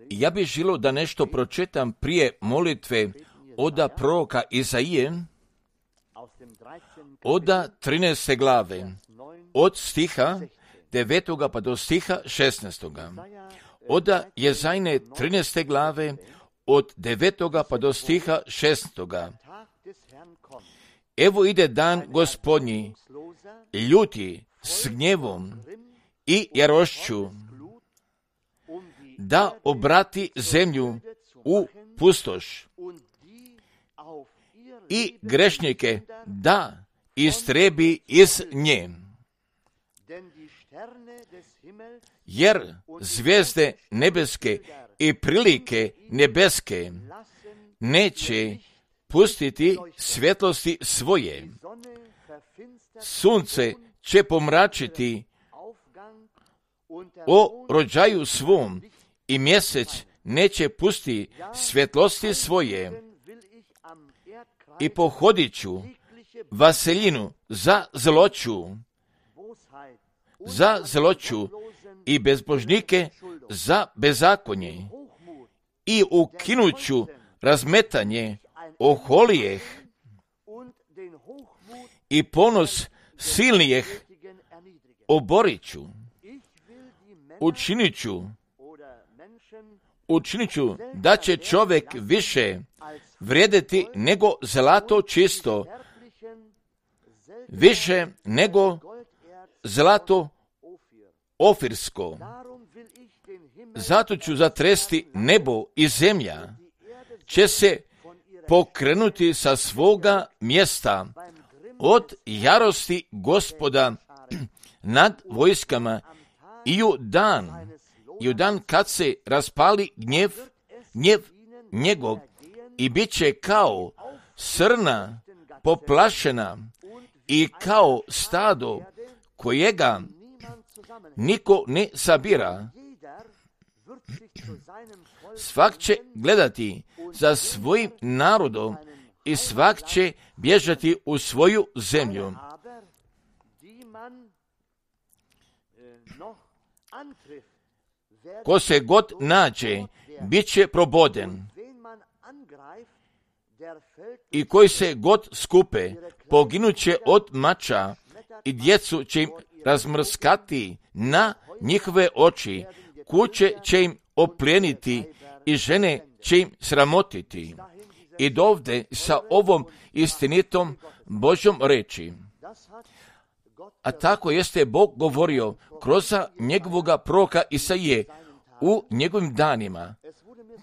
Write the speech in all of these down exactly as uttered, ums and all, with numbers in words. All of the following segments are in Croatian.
Ja bih želio da nešto pročitam prije molitve oda proroka Izaije, oda trinaeste glave, od stiha devetoga pa do stiha šesnaestoga. Oda Jezajne trinaeste glave, od devetoga pa do stiha šesnaestoga. Evo ide dan Gospodnji, ljuti s gnjevom i jarošću, da obrati zemlju u pustoš i grešnike da istrebi iz nje. Jer zvijezde nebeske i prilike nebeske neće pustiti svjetlosti svoje. Sunce će pomračiti o rođaju svom i mjesec neće pustiti svjetlosti svoje. I pohodit ću vaseljinu za zloću, za zloću i bezbožnike za bezakonje i ukinut ću razmetanje oholijeh i ponos silnijeh oborit ću. Učinit ću, učinit ću da će čovjek više vrijediti nego zlato čisto, više nego zlato ofirsko. Zato ću zatresti nebo i zemlja, će se pokrenuti sa svoga mjesta od jarosti Gospoda nad vojskama i u dan, i u dan kad se raspali gnjev, gnjev njegov i bit će kao srna poplašena i kao stado kojega niko ne sabira. Svak će gledati za svojim narodom i svak će bježati u svoju zemlju. Ko se god nađe, bit će proboden. I koji se god skupe, poginut će od mača i djecu će im razmrskati na njihove oči, kuće će im oplijeniti i žene će im sramotiti. I dovde sa ovom istinitom Božjom reči. A tako jeste Bog govorio kroz njegovoga proroka Isaije u njegovim danima.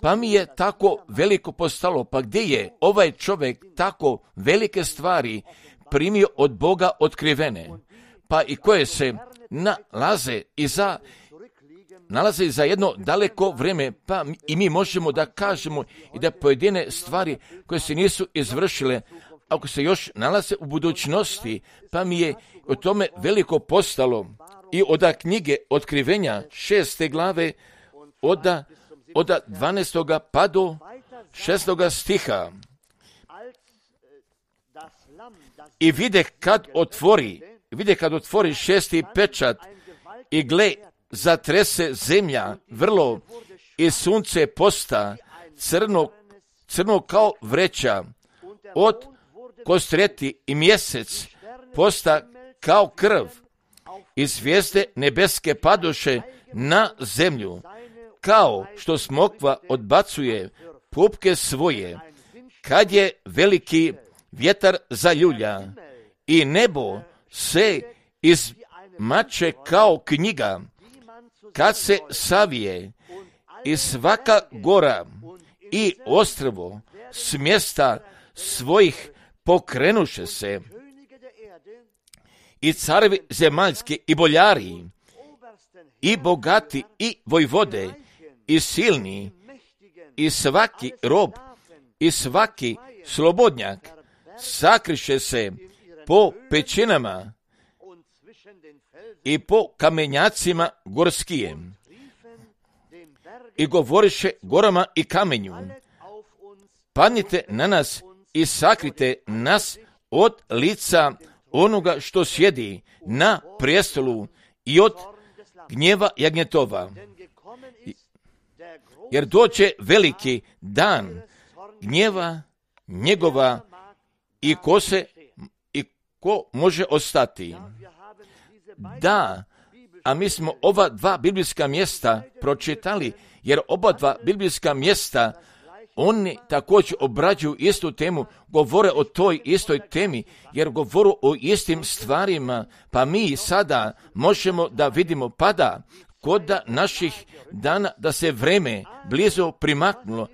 Pa mi je tako veliko postalo, pa gdje je ovaj čovjek tako velike stvari primio od Boga otkrivene, pa i koje se nalaze iza, nalaze za jedno daleko vrijeme, pa i mi možemo da kažemo i da pojedine stvari koje se nisu izvršile, ako se još nalaze u budućnosti, pa mi je o tome veliko postalo. I od knjige Otkrivenja šeste glave, od od dvanaestoga pa do šestoga stiha. I vide kad otvori, vide kad otvori šesti pečat i gle, zatrese zemlja vrlo i sunce posta crno, crno kao vreća od kostreti i mjesec posta kao krv i zvijezde nebeske padoše na zemlju, kao što smokva odbacuje pupke svoje, kad je veliki vjetar zaljulja i nebo se izmače kao knjiga, kad se savije i svaka gora i ostrvo s mjesta svojih pokrenuše se i carevi zemaljski i boljari i bogati i vojvode i silni i svaki rob i svaki slobodnjak sakriše se po pećinama i po kamenjacima gorskijem i govoriše gorama i kamenju, padnite na nas i sakrite nas od lica onoga što sjedi na prijestolu i od gnjeva jagnjetova. jer doće veliki dan gnjeva njegova i ko se i ko može ostati. Da, a mi smo ova dva biblijska mjesta pročitali, jer oba dva biblijska mjesta oni također obrađuju istu temu, govore o toj istoj temi, jer govoru o istim stvarima, pa mi sada možemo da vidimo pada kod naših dana da se vreme blizu primaknulo.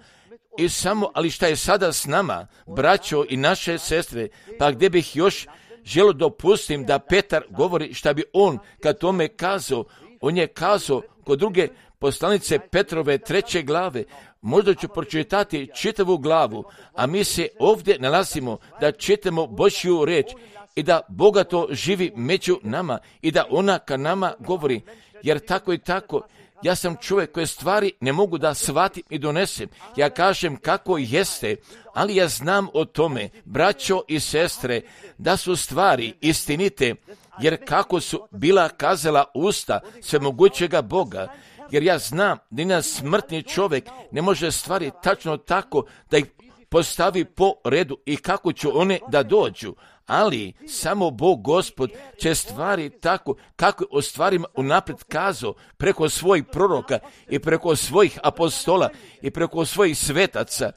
I samo, ali šta je sada s nama, braćo i naše sestre, pa gdje bih još želio dopustim da Petar govori šta bi on kad tome kazao, on je kazao kod druge poslanice Petrove treće glave, možda ću pročitati čitavu glavu, a mi se ovdje nalazimo da čitamo Božju riječ i da bogato živi među nama i da ona ka nama govori, jer tako i tako, ja sam čovjek koje stvari ne mogu da shvatim i donesem. Ja kažem kako jeste, ali ja znam o tome, braćo i sestre, da su stvari istinite, jer kako su bila kazala usta svemogućega Boga, jer ja znam da ni smrtni čovjek ne može stvari tačno tako da ih postavi po redu i kako će one da dođu, ali samo Bog Gospod će stvari tako kako o stvarima unaprijed kazao preko svojih proroka i preko svojih apostola i preko svojih svetaca,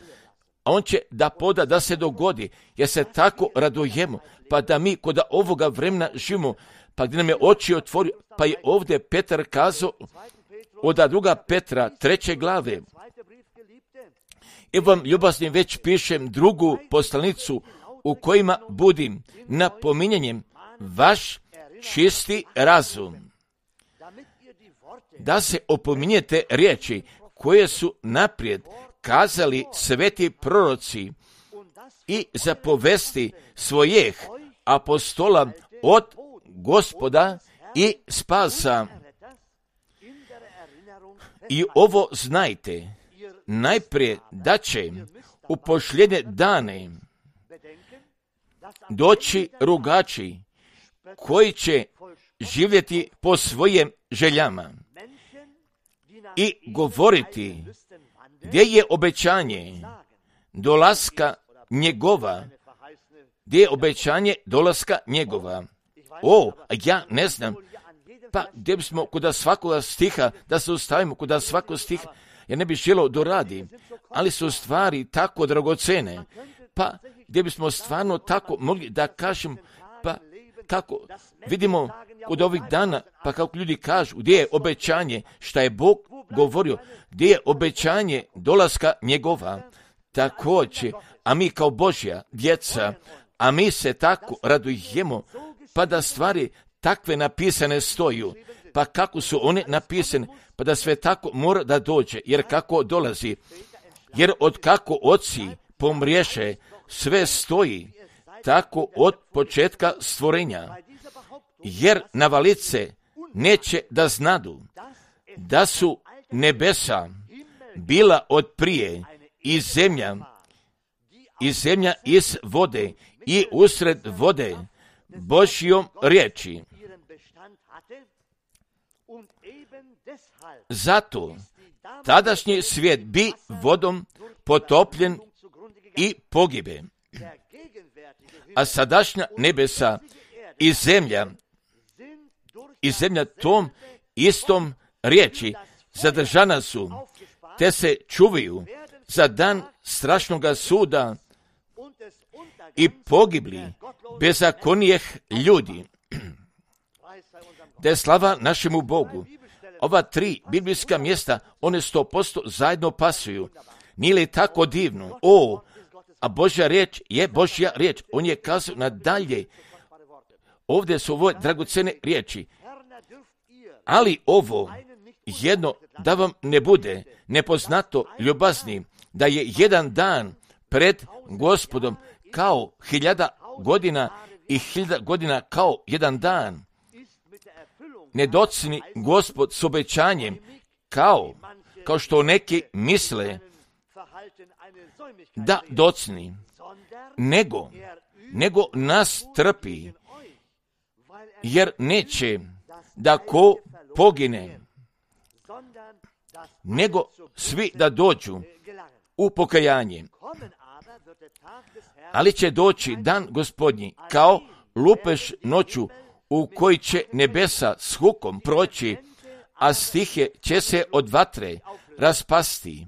a on će da poda da se dogodi, jer se tako radujemo, pa da mi kod ovoga vremena živimo, pa gdje nam je oči otvorio, pa je ovdje Petar kazao od druga Petra treće glave. I vam ljubazni već pišem drugu poslanicu u kojima budim napominjanjem vaš čisti razum, da se opominjete riječi koje su naprijed kazali sveti proroci i zapovesti svojih apostola od Gospoda i spasa. I ovo znajte, najprije da će u posljednje dane doći rugači koji će živjeti po svojim željama i govoriti gdje je obećanje dolaska njegova, gdje je obećanje dolaska njegova. O, ja ne znam, pa gdje bismo kod svakoga stiha, da se ustavimo kod svakog stiha, ja ne bih želio doradi, ali su stvari tako dragocene, pa gdje bismo stvarno tako mogli da kažem, pa kako vidimo kod ovih dana, pa kako ljudi kažu, gdje je obećanje, šta je Bog govorio, gdje je obećanje dolaska njegova, također, a mi kao Božja djeca, a mi se tako radujemo, pa da stvari takve napisane stoju, pa kako su one napisane, pa da sve tako mora da dođe, jer kako dolazi, jer od kako oci pomriješe, sve stoji, tako od početka stvorenja, jer navalice neće da znadu, da su nebesa bila od prije i zemlja, i zemlja iz vode i usred vode Božjom riječi. Zato tadašnji svijet bi vodom potopljen i pogibe, a sadašnja nebesa i zemlja i zemlja tom istom riječi zadržana su, te se čuvaju za dan strašnoga suda i pogibli bezakonijeh ljudi. Da je slava našemu Bogu. Ova tri biblijska mjesta, one sto posto zajedno pasuju. Nije li tako divno? O, a Božja riječ je Božja riječ. On je kazao nadalje. Ovdje su ovo dragocene riječi. Ali ovo jedno da vam ne bude nepoznato ljubazni, da je jedan dan pred Gospodom kao hiljada godina i hiljada godina kao jedan dan. Ne docni Gospod s obećanjem kao, kao što neki misle da docni, nego, nego nas trpi, jer neće da ko pogine, nego svi da dođu u pokajanje. Ali će doći dan Gospodnji kao lupež noću u koji će nebesa s hukom proći, a stihe će se od vatre raspasti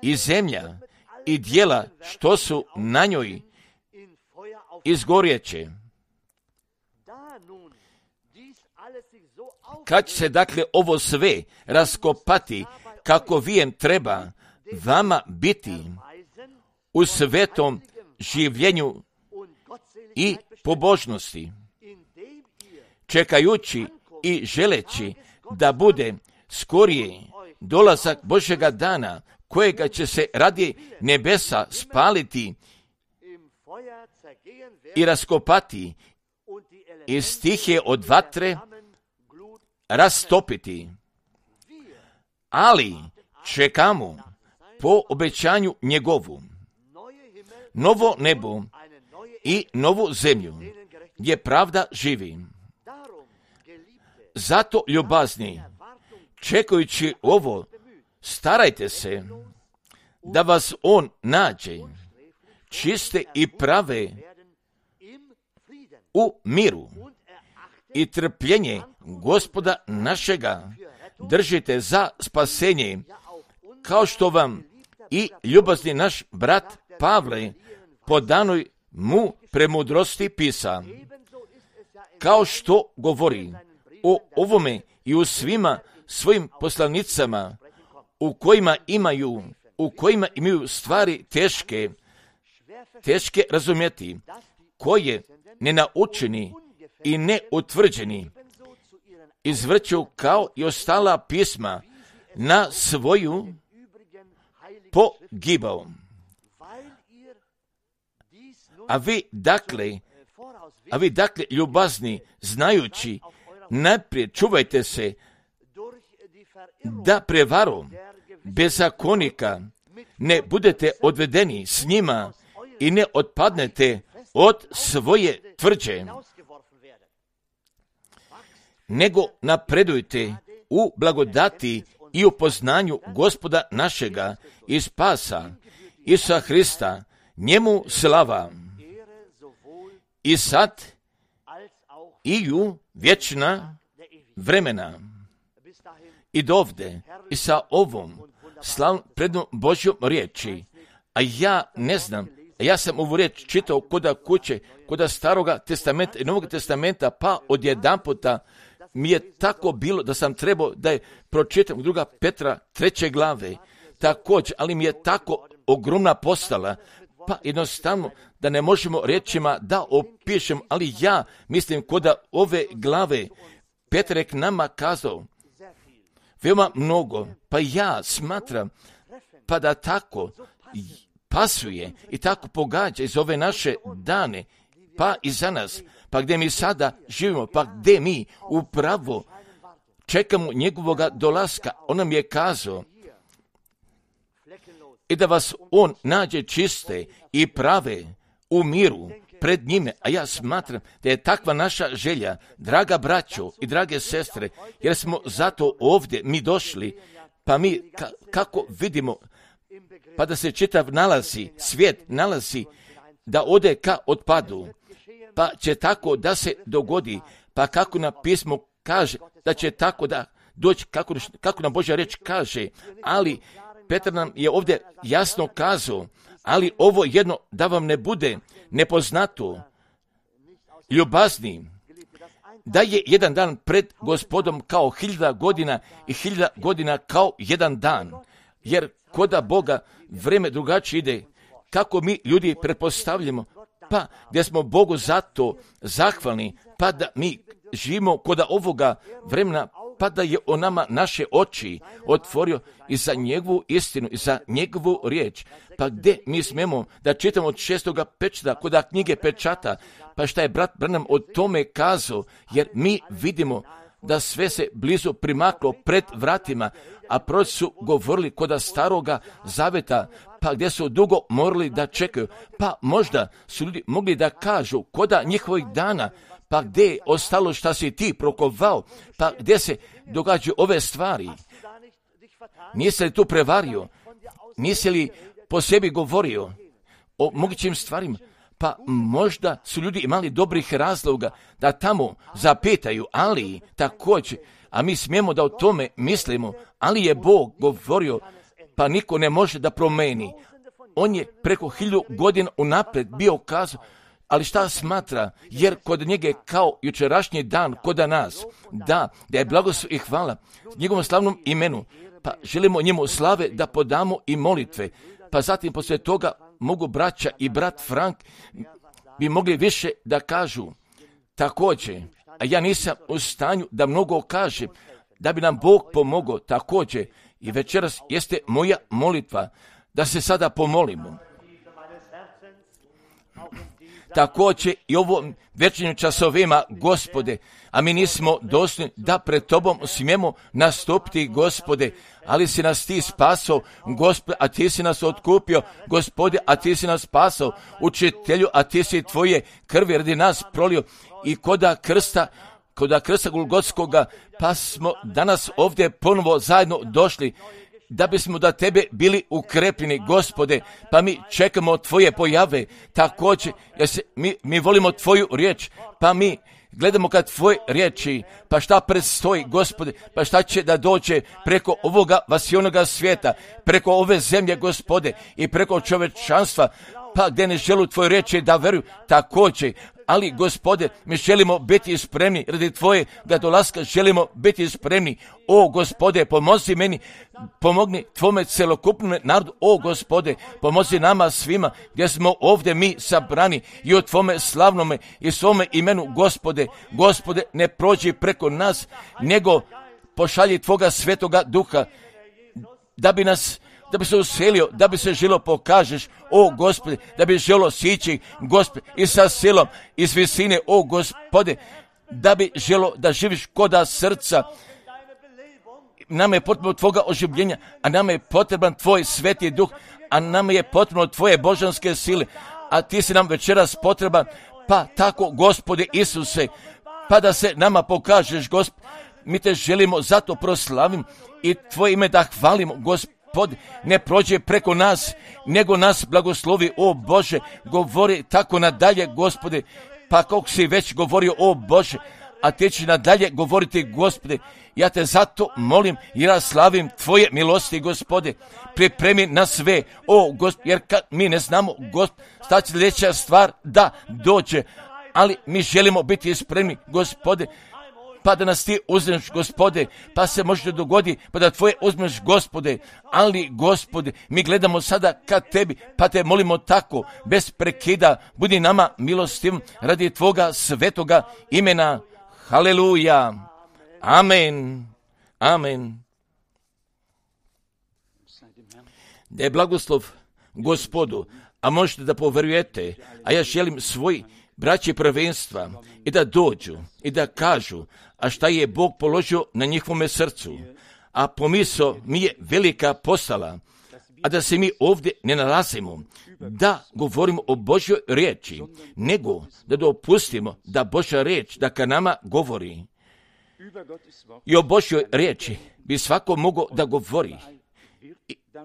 i zemlja i dijela što su na njoj izgorjeće. Kad će se dakle ovo sve raskopati kako vijem treba vama biti u svetom življenju i pobožnosti, čekajući i želeći da bude skorije dolazak Božjega dana, kojega će se radi nebesa spaliti i raskopati i stihe od vatre rastopiti. Ali čekamo po obećanju njegovu novo nebo i novu zemlju, gdje pravda živi. Zato, ljubazni, čekajući ovo, starajte se da vas on nađe čiste i prave u miru i trpljenje Gospoda našega držite za spasenje, kao što vam i ljubazni naš brat Pavle po danoj mu premudrosti pisa, kao što govori o ovome i u svima svojim poslanicama u kojima imaju, u kojima imaju stvari teške, teške razumjeti, koje nenaučeni i neutvrđeni izvrću kao i ostala pisma na svoju pogibao. A vi dakle, a vi dakle ljubazni, znajući, najprije čuvajte se da prevarom bezakonika ne budete odvedeni s njima i ne otpadnete od svoje tvrđe, nego napredujte u blagodati i u poznanju Gospoda našega i spasa Isusa Hrista, njemu slava i sad i u vječna vremena. I dovde i sa ovom slavnom prednom Božjom riječi, a ja ne znam, a ja sam ovu riječ čitao koda kuće, koda Staroga testamenta i Novog testamenta, pa odjedanputa mi je tako bilo da sam trebao da je pročitam druga Petra treće glave, također, ali mi je tako ogromna postala, pa jednostavno da ne možemo riječima da opišem, ali ja mislim koda ove glave Petrek nama kazao veoma mnogo, pa ja smatram pa da tako pasuje i tako pogađa iz ove naše dane, pa i za nas, pa gdje mi sada živimo, pa gdje mi upravo čekamo njegovoga dolaska. On nam je kazao i da vas on nađe čiste i prave u miru pred njime, a ja smatram da je takva naša želja, draga braćo i drage sestre, jer smo zato ovdje mi došli, pa mi ka, kako vidimo, pa da se čitav nalazi, svijet nalazi da ode ka otpadu, pa će tako da se dogodi, pa kako na pismo kaže da će tako da doći, kako, kako nam Božja reč kaže, ali Petar nam je ovdje jasno kazao, ali ovo jedno da vam ne bude nepoznato, ljubazni, da je jedan dan pred Gospodom kao hiljada godina i hiljada godina kao jedan dan, jer koda Boga vreme drugačije ide, kako mi ljudi pretpostavljamo, pa gdje smo Bogu zato zahvalni, pa da mi živimo koda ovoga vremena, pa da je on nama naše oči otvorio i za njegovu istinu, i za njegovu riječ. Pa gdje mi smemo da čitamo od šestoga pečata, koda knjige pečata, pa šta je brat Branham o tome kazao, jer mi vidimo da sve se blizu primaklo pred vratima, a proroci su govorili koda staroga zaveta, pa gdje su dugo morali da čekaju, pa možda su ljudi mogli da kažu koda njihovih dana, pa gdje je ostalo šta si ti prokovao, pa gdje se događaju ove stvari. Nisi li tu prevario? Nisi li po sebi govorio o mogućim stvarima? Pa možda su ljudi imali dobrih razloga da tamo zapitaju, ali također, a mi smijemo da o tome mislimo, ali je Bog govorio, pa niko ne može da promeni. On je preko hiljadu godina unaprijed bio kazao, ali šta smatra, jer kod njega je kao jučerašnji dan kod nas, da, da je blagoslov i hvala njegovom slavnom imenu, pa želimo njemu slave da podamo i molitve, pa zatim poslije toga mogu braća i brat Frank bi mogli više da kažu. Također, a ja nisam u stanju da mnogo kažem, da bi nam Bog pomogao također, i večeras jeste moja molitva da se sada pomolimo. Također i ovom večernjim časovima, Gospode, a mi nismo dostojni da pred Tobom smijemo nastupiti, Gospode, ali si nas Ti spasao, Gospode, a Ti si nas otkupio, Gospode, a Ti si nas spasao, Učitelju, a Ti si Tvoje krvi radi nas prolio i koda krsta, koda krsta Golgotskoga, pa smo danas ovdje ponovo zajedno došli, da bismo da Tebe bili ukrepljeni, Gospode, pa mi čekamo Tvoje pojave, također, jer se, mi, mi volimo Tvoju riječ, pa mi gledamo kad Tvoje riječi, pa šta predstoji, Gospode, pa šta će da dođe preko ovoga vasionoga svijeta, preko ove zemlje, Gospode, i preko čovečanstva, pa gdje ne želu Tvoje riječi da veruju, također, ali, Gospode, mi želimo biti spremni radi Tvojega dolaska, želimo biti spremni. O, Gospode, pomozi meni, pomogni Tvome celokupnom narodu. O, Gospode, pomozi nama svima gdje smo ovdje mi sabrani i u Tvome slavnome i svome imenu, Gospode. Gospode, ne prođi preko nas, nego pošalji Tvoga svetoga duha, da bi nas da bi se uselio, da bi se želo pokažeš, o Gospode, da bi želo sići, Gospode, i sa silom, iz visine, o Gospode, da bi želo da živiš koda srca. Nama je potrebno Tvoga oživljenja, a nama je potreban Tvoj sveti duh, a nama je potrebno Tvoje božanske sile, a Ti si nam večeras potreban, pa tako, Gospode Isuse, pa da se nama pokažeš, Gospode, mi Te želimo, zato proslavim i Tvoje ime da hvalimo, Gospode. Pod, ne prođe preko nas, nego nas blagoslovi, o Bože, govori tako nadalje, Gospode, pa kako si već govorio, o Bože, a Ti će nadalje govoriti, Gospode, ja Te zato molim i ja slavim Tvoje milosti, Gospode, pripremi na sve, o Gospode, jer kad mi ne znamo, Gospode, šta će sljedeća stvar da dođe, ali mi želimo biti spremni, Gospode, pa da nas Ti uzmeš, Gospode, pa se može dogodi, pa da Tvoje uzmeš, Gospode, ali, Gospode, mi gledamo sada ka Tebi, pa Te molimo tako, bez prekida, budi nama milostiv radi Tvoga svetoga imena. Haleluja. Amen. Amen. Da je blagoslov Gospodu, a možete da poverujete, a ja želim svoj braći prvenstva i da dođu i da kažu, a šta je Bog položio na njihovome srcu, a pomisao mi je velika postala, a da se mi ovdje ne nalazimo, da govorimo o Božjoj riječi, nego da dopustimo da Božja riječ da ka nama govori. I o Božjoj riječi bi svako mogao da govori,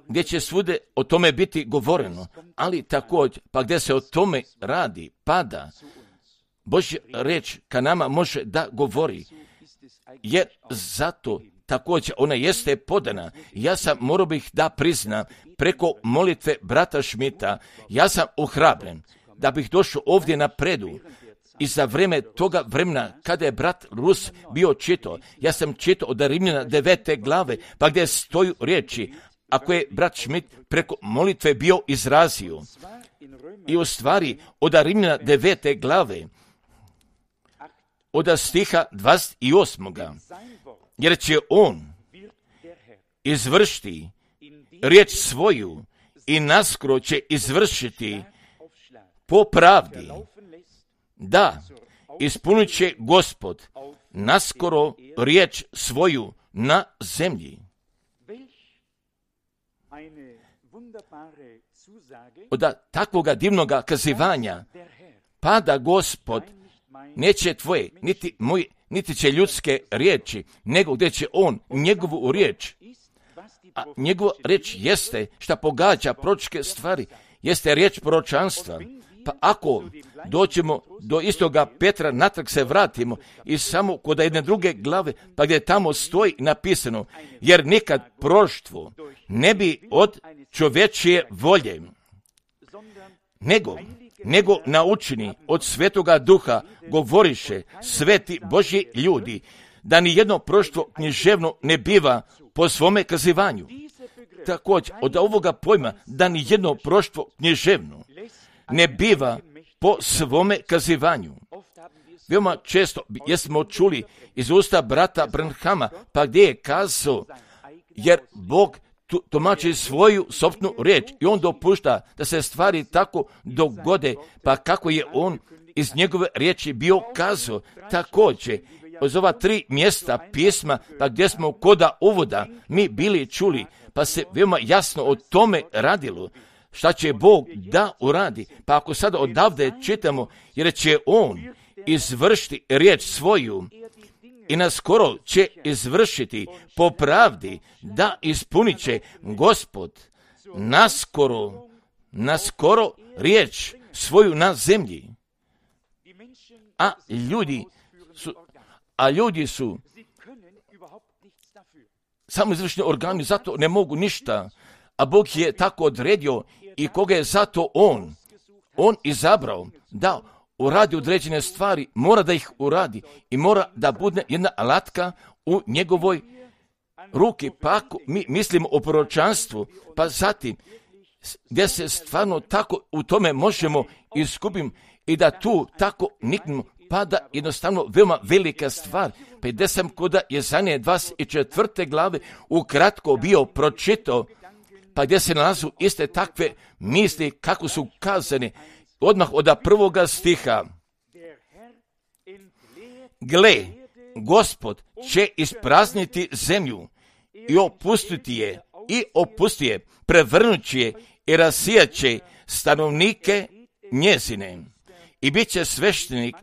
gdje će svude o tome biti govoreno, ali također, pa gdje se o tome radi, pada, Božja riječ ka nama može da govori, jer zato također ona jeste podana. Ja sam, morao bih da priznam, preko molitve brata Šmita, ja sam ohrabren da bih došao ovdje na predu. I za vreme toga vremena, kada je brat Rus bio čitao, ja sam čitao od Rimljana devete glave, pa gdje stoju riječi, ako je brat Šmit preko molitve bio izrazio. I u stvari od Rimljana devete glave, od stiha dvadeset osam. Jer će on izvršiti riječ svoju i naskoro će izvršiti po pravdi. Da, ispunit će Gospod naskoro riječ svoju na zemlji. Od takvoga divnoga kazivanja, pa da Gospod neće tvoje, niti moje, niti će ljudske riječi, nego gdje će on njegovu riječ, A njegova riječ jeste šta pogađa proročke stvari, jeste riječ proročanstva. Pa ako doćemo do istoga Petra, natrag se vratimo i samo kod jedne druge glave, pa gdje tamo stoji napisano, jer nikad proroštvo ne bi od čovječije volje, nego, nego naučeni od Svetoga Duha govoriše sveti Božji ljudi, da ni jedno proroštvo književno ne biva po svome kazivanju. Također, od ovoga pojma, da ni jedno proroštvo književno ne biva po svome kazivanju. Veoma često jesmo čuli iz usta brata Branhama, pa gdje je kazao, jer Bog tumači svoju sopstvenu riječ i on dopušta da se stvari tako dogode, pa kako je on iz njegove riječi bio kazao. Također, iz ova tri mjesta pisma, pa gdje smo koda uvoda mi bili čuli, pa se veoma jasno o tome radilo, šta će Bog da uradi. Pa ako sada odavde čitamo, jer će on izvršiti riječ svoju i naskoro će izvršiti po pravdi, da ispunit će Gospod naskoro, naskoro riječ svoju na zemlji. A ljudi su, a ljudi su samo izvršni organi, zato ne mogu ništa. A Bog je tako odredio i koga je zato on, on izabrao da uradi određene stvari, mora da ih uradi i mora da bude jedna alatka u njegovoj ruki. Pa ako mi mislimo o proročanstvu, pa zatim gdje se stvarno tako u tome možemo izgubim i da tu tako niknemo, pa da jednostavno veoma velika stvar. Pa gdje sam koda Jezanije dvadeset četvrte glave ukratko bio pročitao, pa gdje se nalazu iste takve misli kako su kazane, odmah od prvoga stiha. Gle, Gospod će isprazniti zemlju i opustiti je, i opusti je, prevrnući je i rasijat će stanovnike njezine. I bit će sveštenik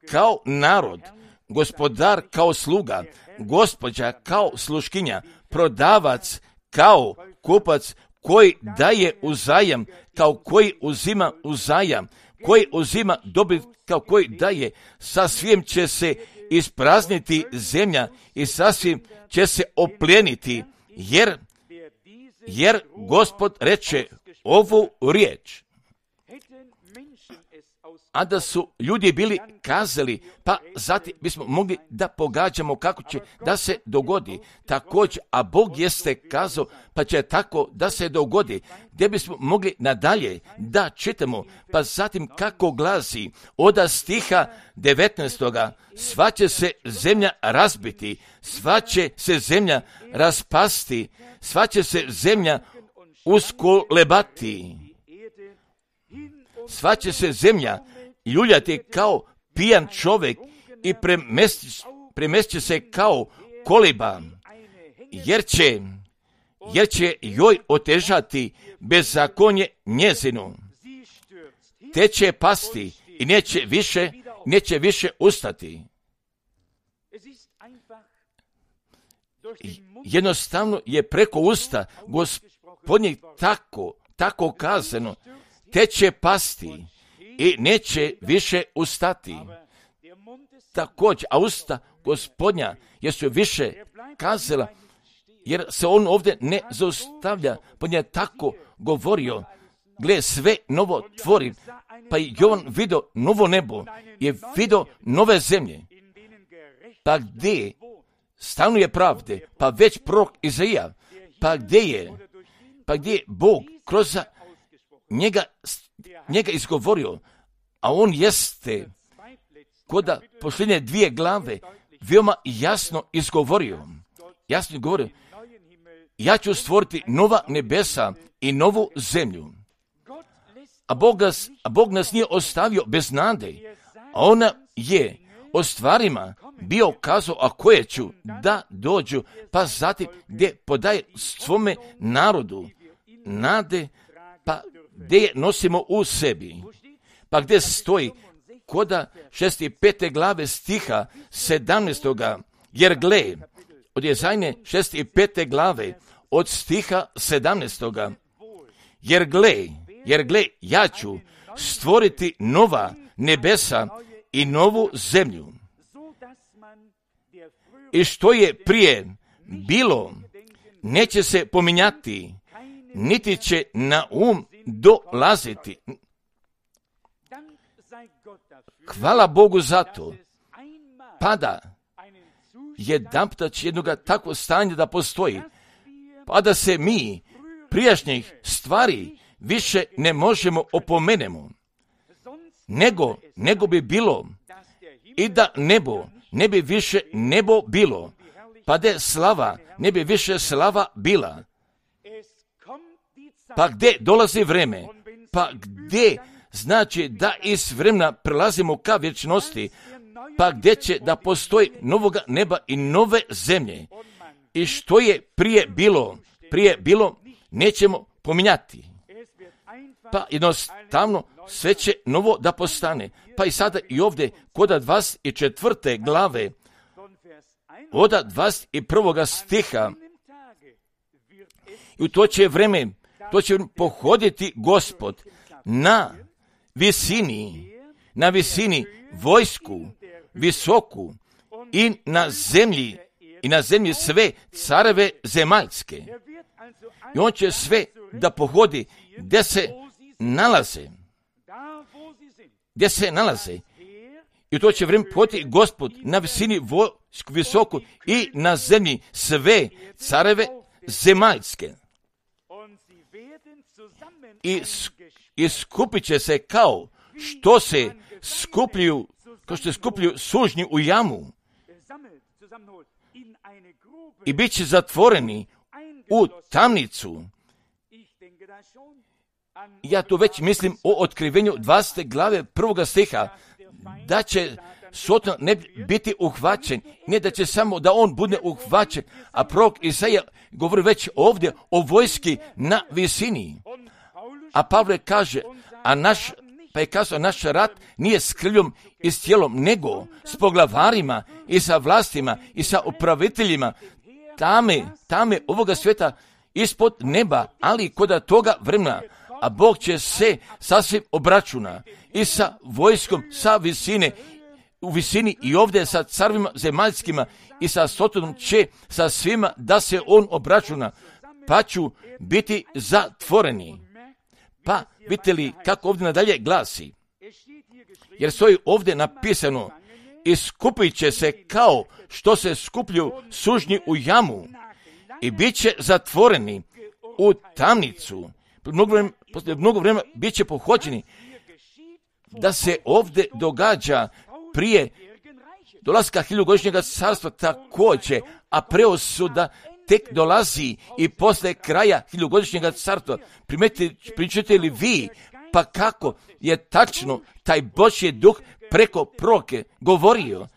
kao narod, gospodar kao sluga, gospođa kao sluškinja, prodavac kao kupac, koji daje uzajam, kao koji uzima uzajam, koji uzima dobit, kao koji daje. Sasvim će se isprazniti zemlja i sasvim će se opljeniti, jer, jer Gospod reče ovu riječ. A da su ljudi bili kazali, pa zatim bismo mogli da pogađamo kako će da se dogodi. Također, a Bog jeste kazao, pa će tako da se dogodi. Gdje bismo mogli nadalje da čitamo, pa zatim kako glasi od stiha devetnaestoga. Sva će se zemlja razbiti, sva će se zemlja raspasti, sva će se zemlja uskolebati. Sva će se zemlja ljuljati kao pijan čovjek i premestit će se kao koliba, jer će, jer će joj otežati bezakonje njezinu. Te će pasti i neće više, neće više ustati. Jednostavno je preko usta Gospodnjeg tako, tako kazano, te će pasti i neće više ustati. Također, a usta Gospodnja jesu više kazala, jer se on ovdje ne zaustavlja, pa je tako govorio, gle, sve novo tvori, pa i Jovan vidio novo nebo, je vidio nove zemlje, pa gdje stanuje pravde, pa već prorok Izaija, pa gdje je, pa gdje je Bog kroz njega, njega izgovorio, a on jeste koda posljednje dvije glave veoma jasno izgovorio, jasno izgovorio, ja ću stvoriti nova nebesa i novu zemlju. A Bog nas, a Bog nas nije ostavio bez nade, a ona je o stvarima bio kazao, a koje ću da dođu, pa zatim gdje podaje svome narodu nade, pa gdje je nosimo u sebi, pa gdje stoji koda šest pete glave stiha sedamnaestoga, jer gle, od Jezajne šest pete glave, od stiha sedamnaestoga. Jer gle, jer gle, ja ću stvoriti nova nebesa i novu zemlju. I što je prije bilo, neće se pominjati, niti će na um dolaziti. Hvala Bogu za to. Pada jedanputa će jednoga takvo stanje da postoji, pa da se mi prijašnjih stvari više ne možemo opomenemo, nego, nego bi bilo i da nebo ne bi više nebo bilo, pa da slava ne bi više slava bila. Pa gdje dolazi vreme? Pa gdje znači da iz vremena prelazimo ka vječnosti? Pa gdje će da postoji novoga neba i nove zemlje? I što je prije bilo, prije bilo, nećemo pominjati. Pa jednostavno sve će novo da postane. Pa i sada i ovdje kod dvadeset četvrte glave, od dvadeset prvog stiha, i u to će vreme, to će pohoditi Gospod na visini, na visini vojsku visoku i na zemlji, i na zemlji sve careve zemaljske. I on će sve da pohodi gdje se nalaze. Gdje se nalaze. I to će vrijeme pohodi Gospod na visini vojsku visoku i na zemlji sve careve zemaljske. I, i skupit će se kao što se skupljuju, kao što se skupljuju sužnji u jamu. I bit će zatvoreni u tamnicu. Ja tu već mislim o otkrivenju dvadesete glave prvoga stiha, da će Soton ne biti uhvaćen, ne da će samo da on bude uhvaćen, a prorok Isaija govori već ovdje o vojski na visini. A Pavle kaže, a naš, pa je kazao, naš rat nije s krvljem i s tijelom, nego s poglavarima i sa vlastima i sa upraviteljima tame, tame ovoga svijeta ispod neba, ali kod toga vremena, a Bog će se sasvim obračuna i sa vojskom, sa visine, u visini i ovdje sa carvima zemaljskima i sa Sotonom će sa svima da se on obračuna, pa ću biti zatvoreni. Pa vidite li kako ovdje nadalje glasi, jer stoji ovdje napisano, i skupit će se kao što se skuplju sužnji u jamu i bit će zatvoreni u tamnicu. Poslije mnogo vremena bit će pohođeni. Da se ovdje događa prije dolaska hiljugodišnjega carstva također, a preosuda tek dolazi i posle kraja hiljugodišnjega carstva. Pričate li vi, pa kako je tačno taj Božji duh preko proroke govorio,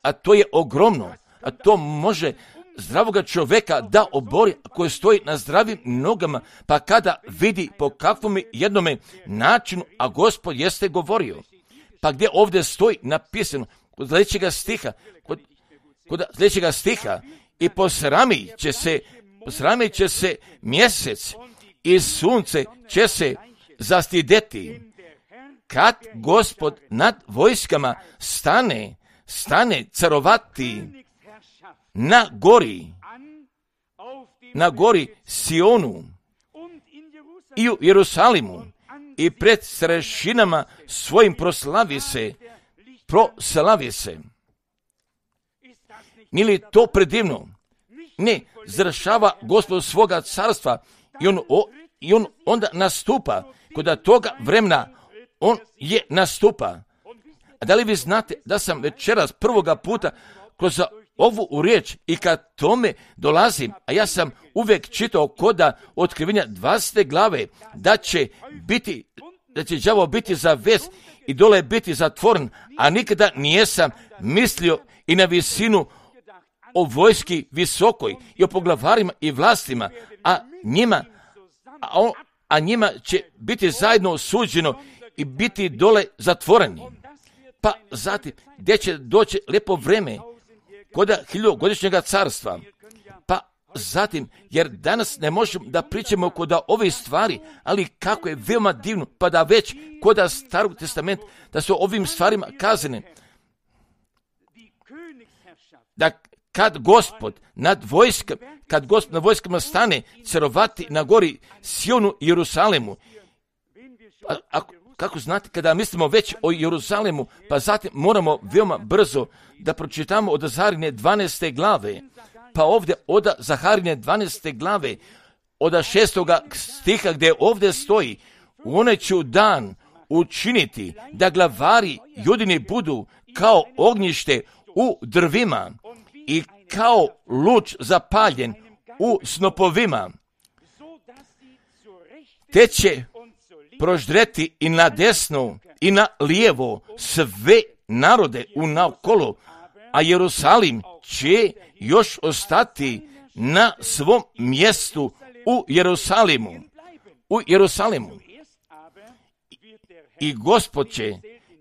a to je ogromno, a to može zdravoga čovjeka da obori koji stoji na zdravim nogama, pa kada vidi po kakvom jednome načinu, a Gospod jeste govorio. Pa gdje ovdje stoji napisano, kod sljedećega stiha, kod, kod sljedećega stiha, i posramit će se, posramit će se mjesec i sunce će se zastideti. Kad Gospod nad vojskama stane, stane carovati na gori, na gori Sionu i u Jerusalimu i pred starešinama svojim proslavi se, proslavi se. Nije li to predivno? Ne, završava Gospod svoga carstva i on, o, i on onda nastupa. Kod toga vremena on je nastupa. A da li vi znate da sam večeras prvoga puta kroz ovu u riječ i kad tome dolazim, a ja sam uvijek čitao koda otkrivenja dvadesete glave, da će biti, da će đavo biti zavez i dole biti zatvoren, a nikada nijesam mislio i na visinu o vojski visokoj i o poglavarima i vlastima, a njima, a, on, a njima će biti zajedno osuđeno i biti dole zatvoreni. Pa zatim, gdje će doći lijepo vreme kod hiljugodišnjega carstva, pa zatim, jer danas ne možemo da pričamo kod ove stvari, ali kako je veoma divno, pa da već kod Starog testamenta, da su ovim stvarima kazane, da kad Gospod nad vojskama, kad Gospod nad vojskama stane carovati na gori Sionu i Jerusalemu, a, a, kako znate, kada mislimo već o Jeruzalemu, pa zatim moramo veoma brzo da pročitamo od Zaharine dvanaeste glave, pa ovdje od Zaharine dvanaeste glave, od šestoga stiha gdje ovdje stoji, u onaj ću dan učiniti da glavari Judini budu kao ognjište u drvima i kao luč zapaljen u snopovima, te će proždreti i na desno i na lijevo sve narode u naokolo, a Jerusalim će još ostati na svom mjestu u Jerusalimu. U Jerusalimu. I Gospod će,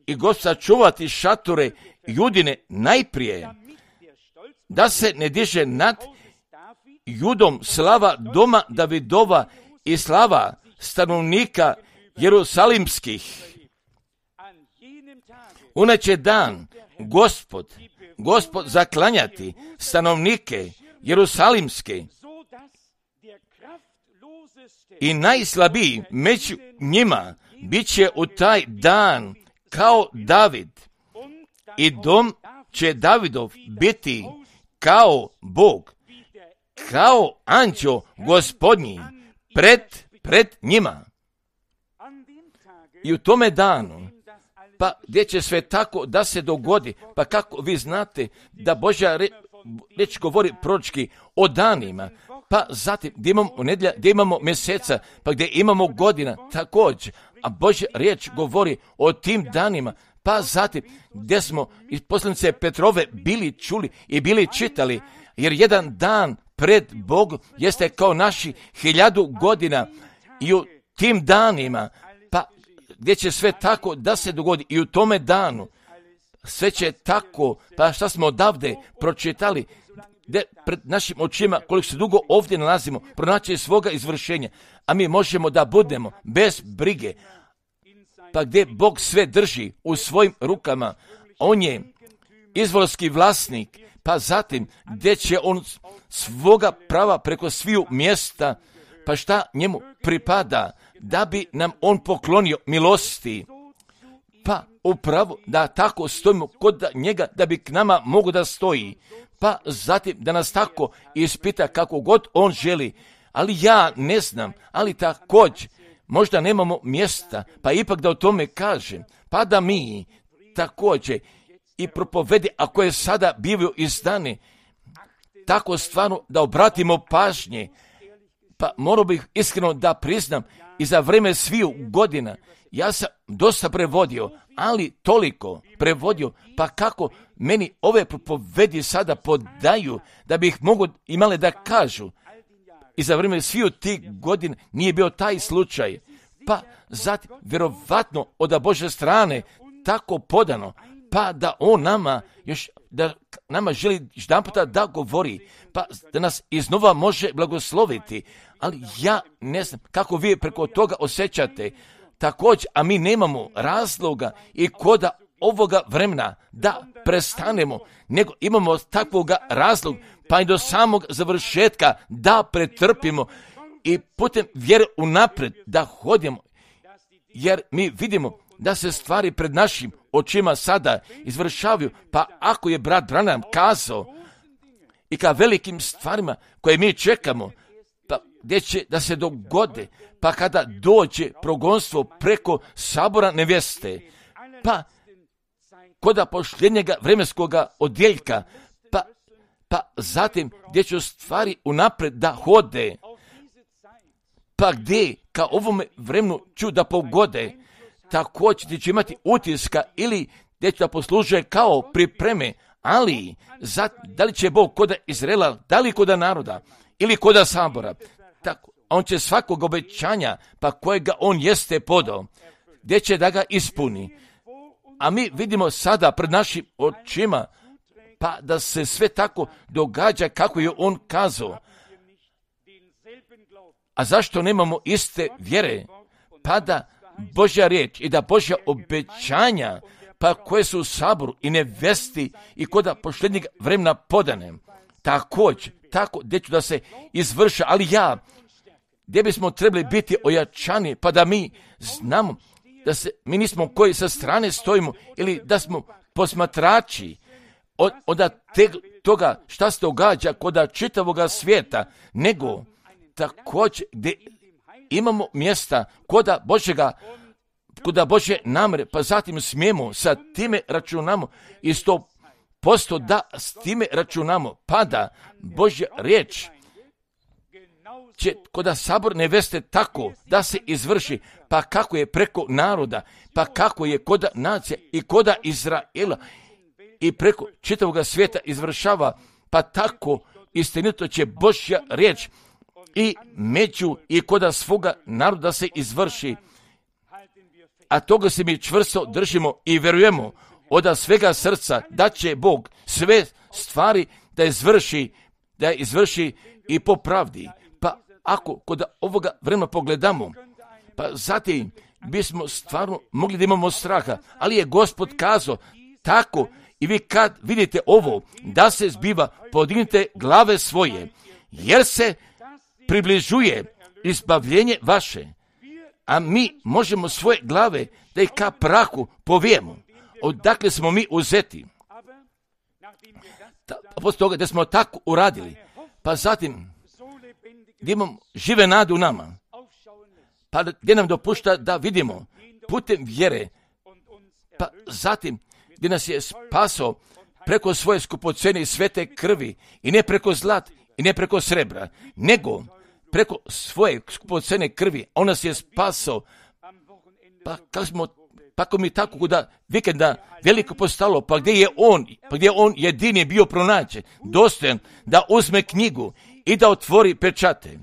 i Gospod čuvati šatore Judine najprije, da se ne diže nad Judom slava doma Davidova i slava stanovnika Jerusalimskih. Uneće dan Gospod, Gospod zaklanjati stanovnike Jerusalimske i najslabiji među njima bit će u taj dan kao David i dom će Davidov biti kao Bog, kao anđeo Gospodnji pred, pred njima. I u tome danu, pa gdje će sve tako da se dogodi, pa kako vi znate da Božja re, reč govori proročki o danima, pa zatim gdje imamo nedjelja, gdje imamo mjeseca, pa gdje imamo godina također, a Božja riječ govori o tim danima, pa zatim gdje smo iz poslanice Petrove bili čuli i bili čitali, jer jedan dan pred Bogom jeste kao naši hiljadu godina i u tim danima, pa gdje će sve tako da se dogodi i u tome danu, sve će tako, pa šta smo odavde pročitali, gdje pred našim očima, koliko se dugo ovdje nalazimo, pronaći svoga izvršenja, a mi možemo da budemo bez brige, pa gdje Bog sve drži u svojim rukama, on je izvorski vlasnik, pa zatim gdje će on svoga prava preko sviju mjesta, pa šta njemu pripada, da bi nam on poklonio milosti, pa upravo da tako stojimo kod njega, da bi k nama mogu da stoji, pa zatim da nas tako ispita kako god on želi, ali ja ne znam, ali također možda nemamo mjesta, pa ipak da o tome kažem, pa da mi također i propovedi, ako je sada bivaju izdane, tako stvarno da obratimo pažnje, pa morao bih iskreno da priznam i za vrijeme sviju godina, ja sam dosta prevodio, ali toliko prevodio, pa kako meni ove propovedi sada podaju, da bi ih mogu imale da kažu, i za vrijeme sviju tih godina nije bio taj slučaj, pa zatim vjerovatno od Božje strane tako podano, pa da on nama još, da nama želi jedanputa da govori, pa da nas iznova može blagosloviti, ali ja ne znam kako vi preko toga osjećate, također, a mi nemamo razloga i koda ovoga vremena da prestanemo, nego imamo takvoga razloga, pa i do samog završetka da pretrpimo i putem vjere unaprijed da hodimo, jer mi vidimo da se stvari pred našim očima sada izvršavaju, pa ako je brat Branham kazao i ka velikim stvarima koje mi čekamo, pa gdje će da se dogode, pa kada dođe progonstvo preko sabora nevjeste, pa koda pošljenjega vremenskoga odjeljka, pa, pa zatim gdje će stvari unaprijed da hode, pa gdje ka ovome vremenu ću da pogode, također ti će imati utiska ili gdje će da posluže kao pripreme, ali za, da li će Bog koda Izraela, da li koda naroda ili koda sabora, tako, on će svakog obećanja, pa kojega on jeste podao, gdje će da ga ispuni. A mi vidimo sada pred našim očima, pa da se sve tako događa kako je on kazao. A zašto nemamo iste vjere? Pa da Božja riječ i da Božja obećanja, pa koje su u saboru i nevesti i koda posljednjeg vremena podane, također, tako gdje ću da se izvrša, ali ja, gdje bismo trebali biti ojačani, pa da mi znamo da se, mi nismo koji sa strane stojimo ili da smo posmatrači od, od te, toga šta se događa kod čitavoga svijeta, nego također gdje imamo mjesta koda Božjega, koda Božje namere, pa zatim smijemo sa time računamo i sto posto da s time računamo, pa da Božja riječ će koda sabor neveste tako da se izvrši, pa kako je preko naroda, pa kako je koda nacija i koda Izraela i preko čitavog svijeta izvršava, pa tako istinito će Božja riječ i među i koda svoga naroda se izvrši. A toga se mi čvrsto držimo i vjerujemo od svega srca da će Bog sve stvari da izvrši, da izvrši i po pravdi. Pa ako kod ovoga vremena pogledamo, pa zatim bismo stvarno mogli da imamo straha, ali je Gospod kazao tako i vi kad vidite ovo da se zbiva, podignite glave svoje, jer se približuje izbavljenje vaše, a mi možemo svoje glave da ih ka prahu povijemo. Odakle smo mi uzeti? Ta, posle toga da smo tako uradili, pa zatim gdje imamo žive nade u nama, pa gdje nam dopušta da vidimo putem vjere, pa zatim gdje nas je spasao preko svoje skupocene i svete krvi i ne preko zlat i ne preko srebra, nego preko svoje skupocene krvi, on nas je spasao, pa kako smo, pa ako mi tako kuda vikenda veliko postalo, pa gdje je on, pa gdje je on jedini bio pronađen, dostojan da uzme knjigu i da otvori pečate.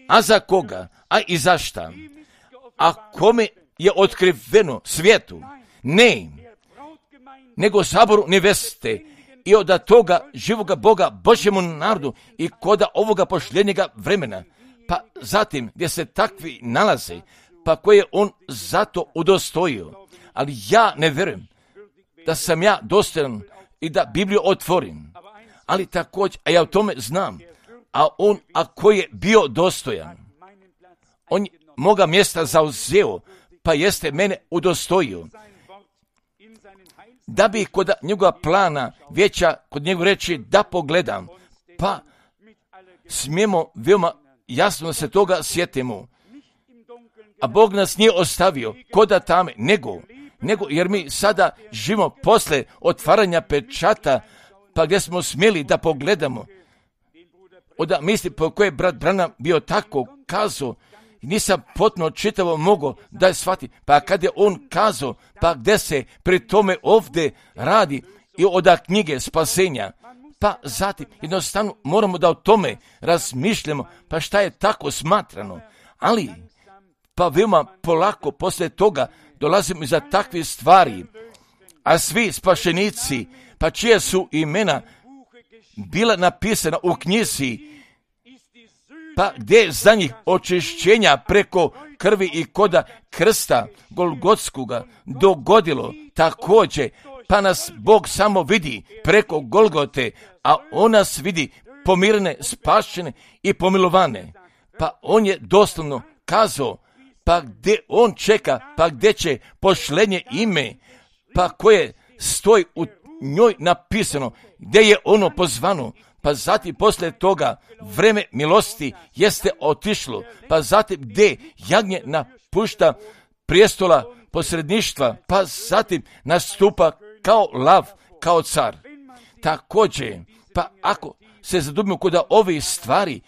A za koga? A i za šta? A kome je otkriveno svijetu? Ne, nego saboru neveste i od toga živoga Boga, Božjemu narodu i koda ovoga posljednjega vremena. Pa zatim gdje se takvi nalaze, pa koje je on zato udostojio. Ali ja ne vjerujem da sam ja dostojan i da Bibliju otvorim. Ali također, a ja o tome znam, a on, ako je bio dostojan, on moga mjesta zauzeo, pa jeste mene udostojio. Da bi kod njegova plana vijeća, kod njegove reći da pogledam, pa smijemo veoma jasno da se toga sjetimo. A Bog nas nije ostavio koda tame, nego, nego jer mi sada živimo posle otvaranja pečata, pa gdje smo smjeli da pogledamo. Oda misli po koje je brat Branham bio tako kazao, nisam potpuno čitavo mogao da je shvati, pa kad je on kazao, pa gdje se pri tome ovdje radi i od knjige spasenja, pa zatim jednostavno moramo da o tome razmišljamo, pa šta je tako smatrano, ali pa veoma polako posle toga dolazimo iza takvih stvari, a svi spašenici, pa čije su imena bila napisana u knjizi, pa gdje je za njih očišćenja preko krvi i koda krsta Golgotskoga dogodilo također, pa nas Bog samo vidi preko Golgote, a on nas vidi pomirene, spašene i pomilovane. Pa on je doslovno kazao, pa gdje on čeka, pa gdje će pošlenje ime, pa koje stoji u njoj napisano, gdje je ono pozvano, pa zatim poslije toga vreme milosti jeste otišlo, pa zatim gdje jagnje napušta prijestola posredništva, pa zatim nastupa kao lav, kao car. Također, pa ako se zadubimo kod ovih stvari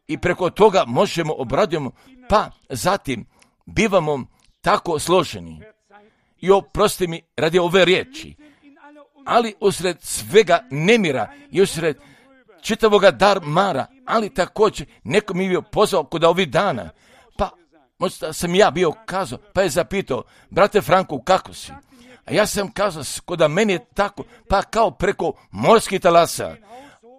i preko toga možemo obradujemo, pa zatim bivamo tako složeni. I oprosti mi radi ove riječi, ali usred svega nemira i usred čitavoga darmara, ali također neko mi je bio pozvao kod ovih dana, pa možda sam ja bio kazao, pa je zapitao, brate Franko, kako si? A ja sam kazao, kod meni je tako, pa kao preko morskih talasa,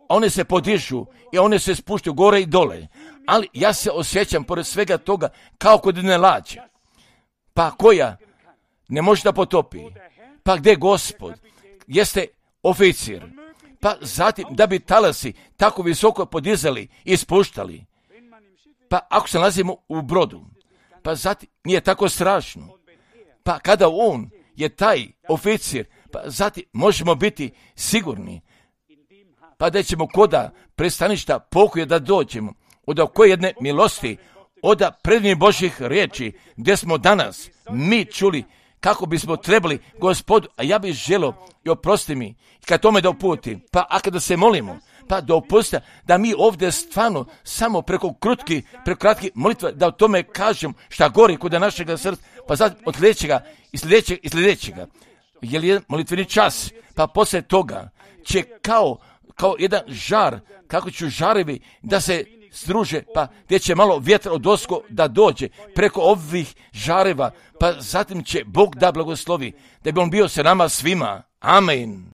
one se podižu i one se spuštaju gore i dole, ali ja se osjećam pored svega toga kao kod jedne lađe, pa koja ne može da potopi, pa gdje Gospod jeste oficir, pa zatim da bi talasi tako visoko podizali i spuštali, pa ako se nalazimo u brodu, pa zatim nije tako strašno, pa kada on je taj oficir, pa zatim možemo biti sigurni, pa da ćemo koda pristaništa pokoja da dođemo, od koje jedne milosti, od predivnih Božjih riječi, gdje smo danas mi čuli kako bismo trebali Gospodu, a ja bih želio i oprosti mi, kad tome da uputi, pa a kada se molimo, pa da opusti, da mi ovdje stvarno samo preko krutki, preko kratki molitva, da o tome kažem šta gori kod našega srca, pa zatim od sljedećega i sljedećega i sljedećega. Jer je molitveni čas, pa poslije toga će kao, kao jedan žar, kako ću žarevi da se struže, pa gdje će malo vjetra od osko da dođe preko ovih žareva, pa zatim će Bog da blagoslovi, da bi on bio sa nama svima. Amen.